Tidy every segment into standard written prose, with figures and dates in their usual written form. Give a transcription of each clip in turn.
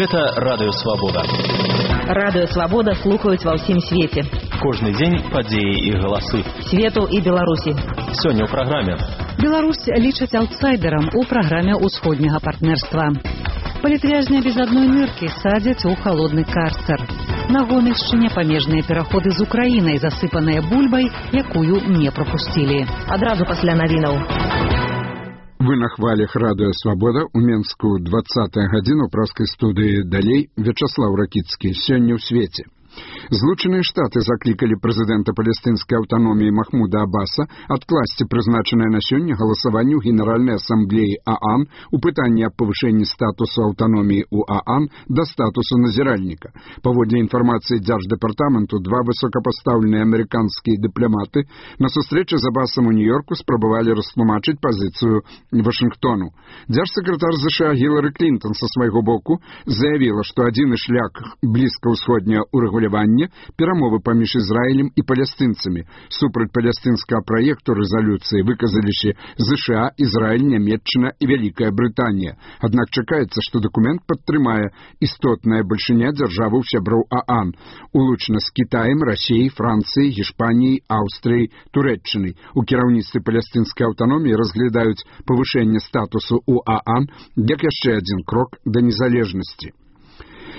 Гэта Радыё Свабода. Радыё Свабода слухаюць ва ўсім свеце. Кожны дзень падзеі і галасы. Свету і Беларусі. Сёння ў праграме. Беларусь лічаць аўтсайдерам у праграме ўсходняга партнерства. Палітвязня без адной ныркі садзяць у халодны карцер. На Гомельшчыне памежныя пераходы з Украінай, засыпаныя бульбай, якую не прапусцілі. Адразу пасля навінаў. Вы на хвалях Радыё Свабода у Менску 20-я гадзіна ў праскай студыі. Далей Вячаслаў Ракіцкі. Сёння ў свеце. Злучаныя Штаты заклікалі прэзідэнта палестынскай аўтаноміі Махмуда Аббаса адкласці прызначанае на сёння галасаванне ў Генеральнай асамблеі ААН у пытанні аб павышэнні статусу аўтаноміі ў ААН да статусу назіральніка. Паводле інфармацыі Дзярждэпартаменту, два высокапастаўленыя амерыканскія дыпламаты на сустрэчы з Аббасам у Нью-Йорку спрабавалі растлумачыць пазіцыю Вашынгтону. Дзяржсакратар ЗША Гілары Клінтон са свайго боку заявіла, што адзіны шлях блізкаўсходняга урэгулявання перамовы паміж Ізраілем і палестынцамі. Супраць палестынскага праекту рэзалюцыі выказаліся ЗША, Ізраіль, Нямецчына і Вялікая Брытанія. Аднак чакаецца, што дакумент падтрымае істотная бальшыня дзяржаваў сяброў ААН, улучна з Кітаем, Расіяй, Францыяй, Гішпаніяй, Аўстрыяй, Турэччынай. У кіраўніцтве палестынскай аўтаноміі разглядаюць павышэнне статусу ў ААН як яшчэ адзін крок да незалежнасці.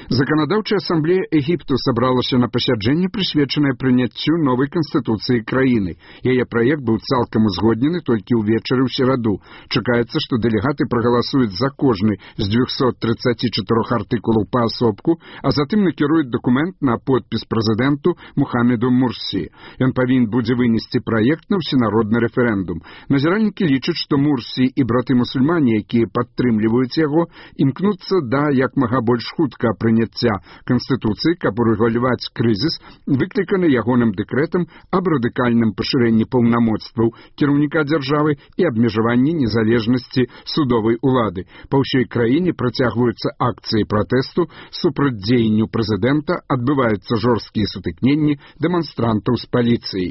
Заканадаўчая асамблея Егіпту сабралася на пасяджэнне, прысвечанае прыняццю новай канстытуцыі краіны. Яе праект быў цалкам узгоднены толькі ўвечары ў сераду. Чакаецца, што дэлегаты прагаласуюць за кожны з 234 артыкулаў паасобку, а затым накіруюць дакумент на подпіс прэзідэнту Мухаммеду Мурсі. Ён павінен будзе вынесці праект на ўсенародны рэферэндум. Назіральнікі лічаць, што Мурсі і браты-мусульмане, якія падтрымліваюць яго, імкнуцца да як мага больш хутка прыняцця Канстытуцыі, каб урэгуляваць крызіс, выкліканы ягоным дэкрэтам аб радыкальным пашырэнні паўнамоцтваў кіраўніка дзяржавы і абмежаванні незалежнасці судовай улады. Па ўсёй краіне працягваюцца акцыі пратэсту супраць дзеянню прэзідэнта, адбываюцца жорсткія сутыкненні дэманстрантаў з паліцыяй.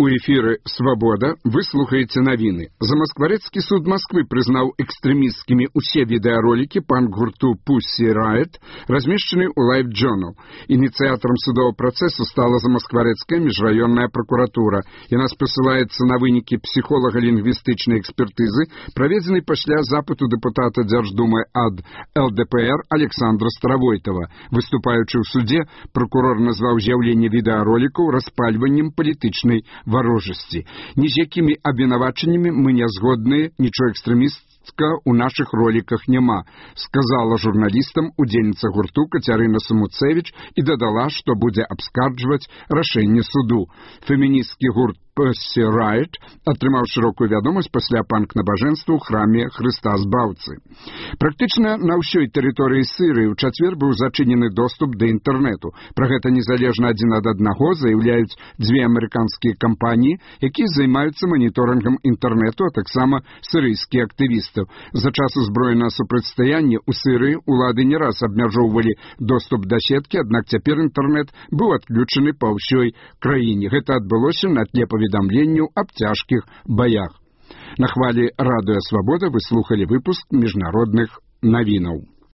У эфіры «Свабода» вы слухаеце навіны. Замаскварэцкі суд Масквы прызнаў экстрэмісцкімі ўсе відэаролікі панк-гурту Pussy Riot, размешчаны ў Live Journal. Ініцыятарам судового працэсу стала Замаскварэцкая міжраённая пракуратура. Яна спасылаецца на вынікі псіхолага-лінгвістычнай экспертызы, праведзенай пасля запыту дэпутата Дзярждумы ад ЛДПР Александра Старавойтова. Выступаючы ў суде, прокурор назваў з'яўленне відэаролікаў распальваннем палітычнай варожасці. Ні з якімі абвінавачаннямі мы не згодныя, нічого экстрэмістка ў нашых роліках няма, сказала журналістам удзельніца гурту Кацярына Самуцевіч і дадала, што будзе абскарджваць рашэнне суду. Феміністкі гурт Pussy Riot атрымаў шырокую вядомасць пасля панк-набажэнства ў храме Хрыста Збаўцы. Практычна на ўсёй тэрыторыі Сірыі ў чацвер быў зачынены доступ да інтэрнэту. Пра гэта незалежна адзін ад аднаго заяўляюць дзве амерыканскія кампаніі, якія займаюцца маніторынгам інтэрнэту, а таксама сірыйскія актывісты. За час узброенага супрацьстаяння ў Сірыі улады не раз абмяжоўвалі доступ да сеткі, аднак цяпер інтэрнэт быў адключаны па ўсёй краіне. Гэта адбылося на тле паведамленняў аб цяжкіх баях. На хвалі Радыё Свабода вы слухалі выпуск міжнародных навінаў.